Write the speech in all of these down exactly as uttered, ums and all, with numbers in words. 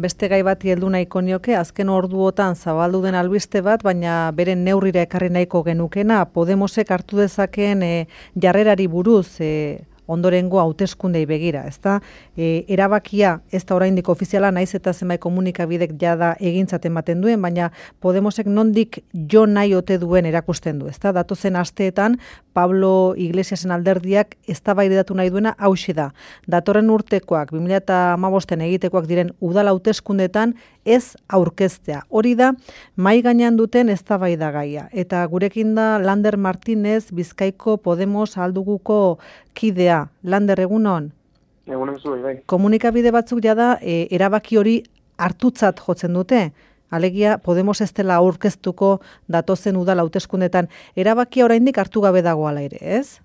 beste gai bati heldu nahiko nioke, azken orduotan zabaldu den albiste bat, baina beren neurrira ekarri nahiko genukena, Podemosek hartu dezakeen e, jarrerari buruz, e, ondorengo hauteskundei begira, ezta? E, erabakia ez da oraindik ofiziala, naiz eta zenbait komunikabidek jada egintzat ematen duen, baina Podemosek nondik jo nahi ote duen erakusten du, ezta? Datozen asteetan Pablo Iglesiasen alderdiak eztabaidatu nahi duena hauxe da. Datorren urtekoak, bi mila hamabosten egitekoak diren udal hauteskundetan ez aurkeztea. Hori da mahai gainean duten eztabaidagaia. Eta gurekin da Lander Martínez, Bizkaiko Podemos alduguko kidea. Lander, egunon? Egunon zu, bai. Komunikabide batzuk jada e, erabaki hori hartutzat jotzen dute. Alegia Podemos ez dela aurkeztuko datozen udal hauteskundetan. Erabakia oraindik hartu gabe dago ala ere, ez?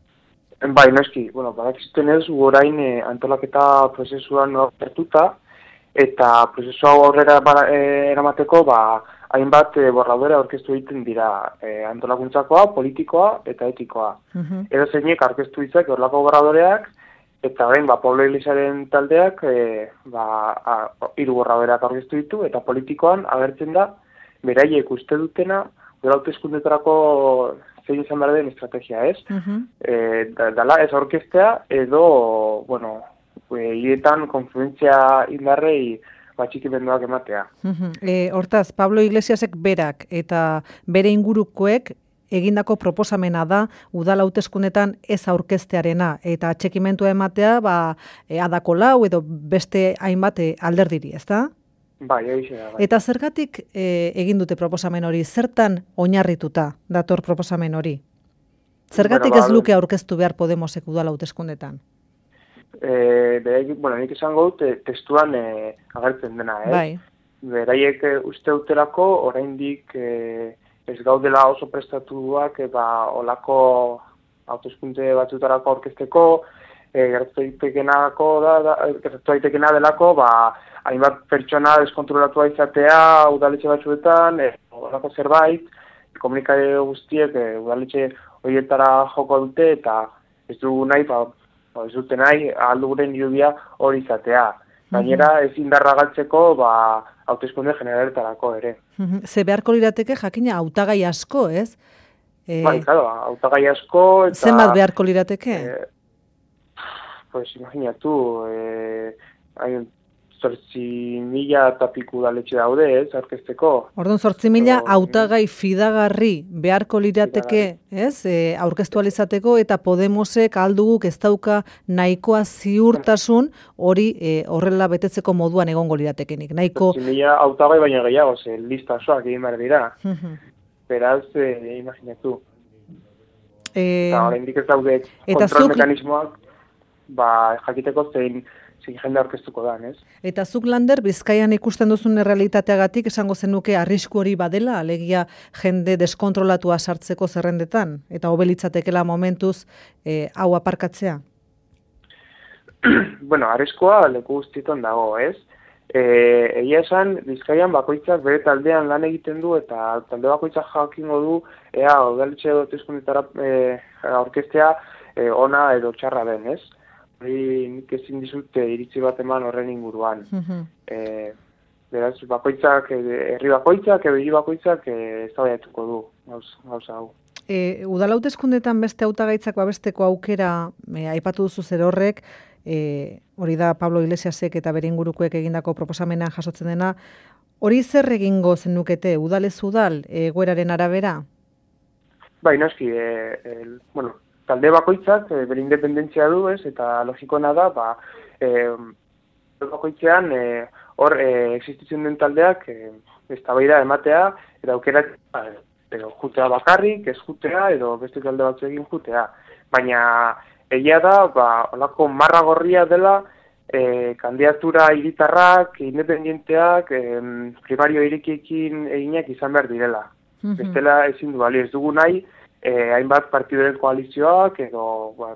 Bai, noski. Bueno, badakizuten ez, orain eh, antolaketa prozesuan hartuta, eta prozesua aurrera eh, eramateko, ba, hainbat eh, borradore aurkeztu egiten dira eh, antolakuntzakoa, politikoa eta etikoa. Uh-huh. Edo zeinek aurkeztu ditzak horlako borradoreak, eta orain, ba, Pablo Iglesiaren taldeak eh, ba, hiru borradoreak aurkeztu ditu, eta politikoan agertzen da, beraiek uste dutena, gero hauteskundetarako zein izan behar den estrategia, ez? Uh-huh. E, da, dala ez aurkeztea, edo, bueno, hietan konfluentzia indarrei batxikimenduak ematea. Uh-huh. E, hortaz, Pablo Iglesiasek berak eta bere ingurukoek egindako proposamena da udal hauteskundetan ez aurkeztearena eta atxekimentua ematea ba, e, adako lau edo beste hainbat alderdiri, ezta? Bai, egize da, bai. Eta zergatik e, egin dute proposamen hori, zertan oinarrituta dator proposamen hori? Zergatik bueno, ba, ez luke aurkeztu behar Podemosek udal hauteskundetan? E, beraiek, bueno, nik esango dut testuan e, agertzen dena, eh? Bai. Beraiek e, uste dutelako oraindik e, ez gaudela oso prestatuak e, ba, olako hauteskunde batzutarako aurkezteko, e, gertatu daitekenako da, da gertatu daitekena delako, ba, hainbat pertsona deskontrolatua izatea udaletxe batzuetan, e, olako zerbait, komunikabide guztiek e, udaletxe horietara joko dute eta ez dugu nahi, ba, ez dute nahi, alduguren irubia hori izatea. Gainera, ez indarra galtzeko, ba, hauteskunde generaretarako ere. Ze beharko lirateke jakina hautagai asko, ez? E... Bai, claro, hautagai asko eta... Zenbat beharko lirateke? E, pues, imaginatu, e, hay zortzi mila eta piku udaletxe daude, ez, aurkezteko. Orduan, zortzi mila hautagai fidagarri beharko lirateke, ez, e, aurkeztu alizateko, eta Podemosek alduguk ez dauka nahikoa ziurtasun hori e, horrela betetzeko moduan egongo liratekenik. Nahiko... zortzi mila hautagai baina gehiago, ze lista osoak egin behar dira. Beraz, e, imaginatu. E... Eta oraindik ez daude kontrol mekanismoak, ba, jakiteko zein zein jende aurkeztuko da, ez? Eta zuk, Lander, Bizkaian ikusten duzun errealitateagatik esango zenuke arrisku hori badela, alegia jende deskontrolatua sartzeko zerrendetan, eta hobelitzatekela momentuz e, hau aparkatzea? Bueno, arriskua leku guztietan dago, ez? E, egia esan, Bizkaian bakoitzak bere taldean lan egiten du, eta talde bakoitzak jakingo du, ea, udaletxe hauteskundetara e, aurkeztea e, ona edo txarra den, ez? Hori nik ezin dizute iritzi bat eman horren inguruan. Uh-huh. E, beraz, bakoitzak, herri bakoitzak, ebili bakoitzak ez da baiatuko du, gauza hau. E, udal hauteskundetan beste hautagaitzak babesteko aukera, e, aipatu duzu zer horrek, e, hori da Pablo Iglesiasek eta bere ingurukoek egindako proposamenean jasotzen dena, hori zer egingo zenukete, udalez udal, egoeraren arabera? Bai, noski, e, e, bueno, talde bakoitzak e, bere independentzia du, ez, eta logikoena da, ba, e, bakoitzean e, hor e, existitzen den taldeak e, eztabaida ematea, eta aukerak ba, edo jutea bakarrik, ez jutea, edo beste talde batzuekin jutea. Baina egia da, ba, olako marra gorria dela, e, kandidatura hiritarrak, independenteak, e, primario irikiekin eginak izan behar direla. Uh-huh. Bestela ezin du bali, ez dugu nahi, Eh, hainbat partidoren koalizioak edo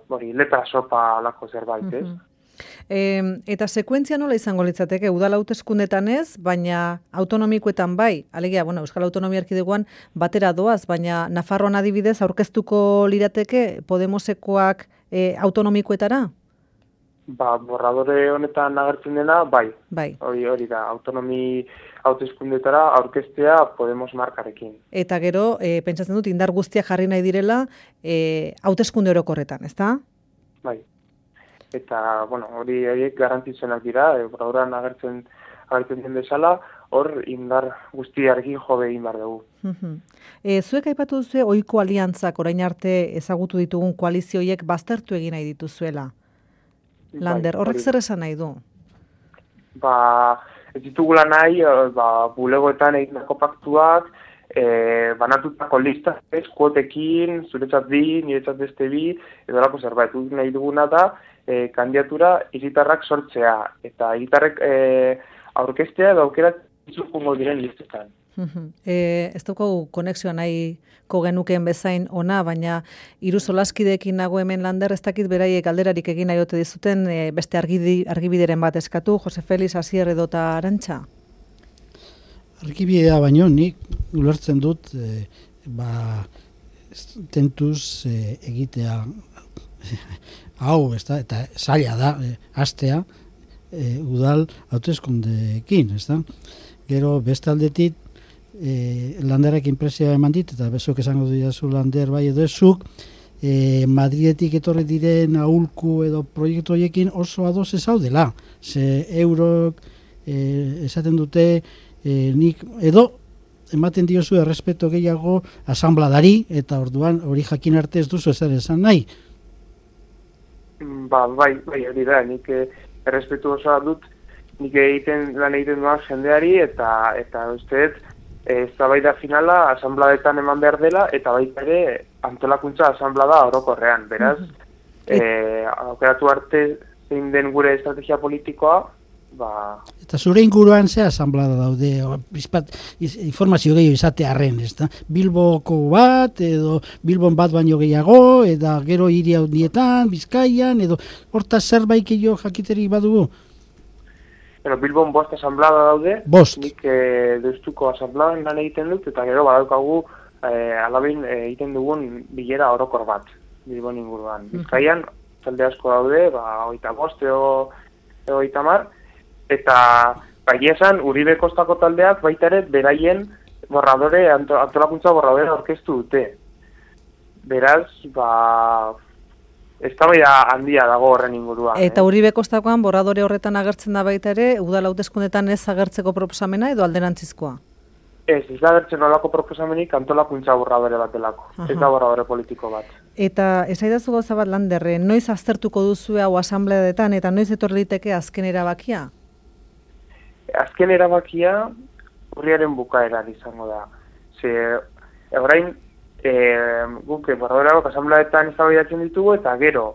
hori letra sopa alako zerbait, ez? Uh-huh. E, eta sekuentzia nola izango litzateke, udal hauteskundetan ez, baina autonomikoetan bai, alegia, bueno, Euskal Autonomia Erkidegoan batera doaz, baina Nafarroan adibidez aurkeztuko lirateke Podemosekoak e, autonomikoetara? Ba, borradore honetan agertzen dena, bai. Bai. Hori, hori da, autonomi hauteskundetara aurkeztea Podemos markarekin. Eta gero, e, pentsatzen dut, indar guztiak jarri nahi direla e, hauteskunde orokorretan, ezta? Bai. Eta, bueno, hori horiek garrantzitsuenak dira, e, borradorean agertzen agertzen den bezala, hor indar guztiarekin jode egin behar dugu. E, zuek aipatu duzu ohiko aliantzak orain arte ezagutu ditugun koalizioiek baztertu egin nahi dituzuela. Lander, horrek zer esan nahi du? Ba, ez ditugula nahi, ba, bulegoetan egindako paktuak, e, banatutako lista, ez, kuotekin, zuretzat bi, niretzat beste bi, edo lako zerbait, nahi duguna da, e, kandidatura hiritarrak sortzea, eta hiritarrek e, aurkeztea edo aukera izukungo diren listetan. E, ez dugu konexioa nahiko genukeen bezain ona, baina hiru solaskideekin nago hemen Lander, ez dakit beraiek galderarik egin nahi ote dizuten e, beste argidi, argibideren bat eskatu, Jose Felix, Asier edo eta Arantxa? Argibidea baino nik ulertzen dut e, ba, tentuz e, egitea hau, ez da, eta zaila da, e, hastea e, udal hauteskundeekin, ez da? Gero beste aldetik E, Landerek inpresioa eman dit, eta bezok esango diazu Lander bai edo ezuk, e, Madridetik etorri diren aholku edo proiektu horiekin oso ados ez haudela. Ze eurok e, esaten dute e, nik edo ematen diozu errespeto gehiago asanbladari, eta orduan hori jakin arte ez duzu ezer esan nahi. Ba, bai, bai, hori da, nik errespetu osoa dut, nik egiten lan egiten duan jendeari, eta eta usteet, eztabaida finala asanbladetan eman behar dela, eta baita ere antolakuntza asanblada orokorrean. Beraz, mm-hmm. e, aukeratu arte zein den gure estrategia politikoa, ba... Eta zure inguruan ze asanblada daude, bizpat, informazio gehiago izate arren, ez da? Bilboko bat, edo Bilbon bat baino gehiago, eta gero hiri handietan, Bizkaian, edo hortaz zerbait gehiago jakiterik badugu? Bueno, Bilbon bost asanblada daude, bost. Nik e, deustuko asanbladan lan egiten dut, eta gero badaukagu e, alabin e, egiten dugun bilera orokor bat, Bilbon inguruan. Bizkaian, talde asko daude, ba, oita bost, ego, ego itamar, eta baina esan, Uribe Kostako taldeak baita ere beraien borradore, antolakuntza borradore aurkeztu dute. Beraz, ba... eztabaida handia dago horren inguruan. Eta eh? Uribe Kostakoan borradore horretan agertzen da baita ere, udal hauteskundetan ez agertzeko proposamena edo alderantzizkoa? Ez, ez da agertzen olako proposamenik antolakuntza borradore bat delako. Ez da borradore politiko bat. Eta esaidazu gauza bat Landerre, noiz aztertuko duzu hau asambleadetan eta noiz etorri liteke azken erabakia? Azken erabakia urriaren bukaeran izango da. Ze, orain, E, guk borradorako asanbladetan eztabaidatzen ditugu, eta gero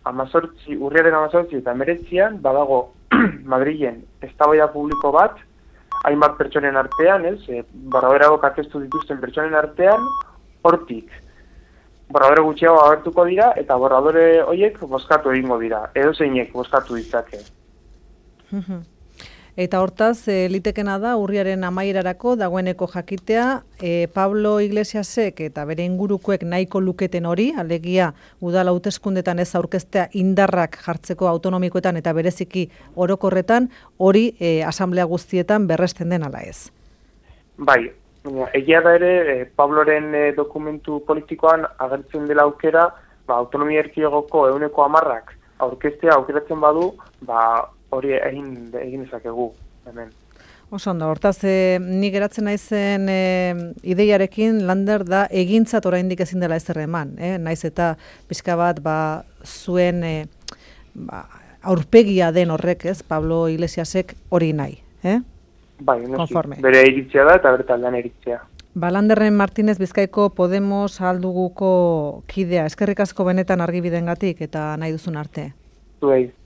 amazortzi, urriaren amazortzi eta emeretzian badago Madrilen eztabaida publiko bat, hainbat pertsonen artean, ez, e, borradorako aurkeztu dituzten pertsonen artean, hortik borradore gutxiago agertuko dira, eta borradore horiek bozkatu egingo dira, edo zeinek bozkatu ditzake. Eta hortaz, e, litekena da, urriaren amaierarako dagoeneko jakitea, e, Pablo Iglesiasek eta bere ingurukoek nahiko luketen hori, alegia udal hauteskundetan ez aurkeztea indarrak jartzeko autonomikoetan eta bereziki orokorretan, hori e, asamblea guztietan berresten den ala ez. Bai, egia da ere, e, Pabloren e, dokumentu politikoan agertzen dela aukera, ba, autonomia erkidegoko ehuneko hamarrak aurkeztea aukeratzen badu, ba, hori egin egin ezakegu hemen. Oso ondo, hortaz, e, ni geratzen naizen e, ideiarekin Lander da egintzat oraindik ezin dela ezer eman, eh? Naiz eta pixka bat ba, zuen e, ba, aurpegia den horrek, ez, Pablo Iglesiasek hori nahi, eh? Bai, noski, bere iritzia da eta bere taldean iritzia. Ba, Landerren Martínez Bizkaiko Podemos alduguko kidea, eskerrik asko benetan argibidengatik eta nahi duzun arte. Zuei.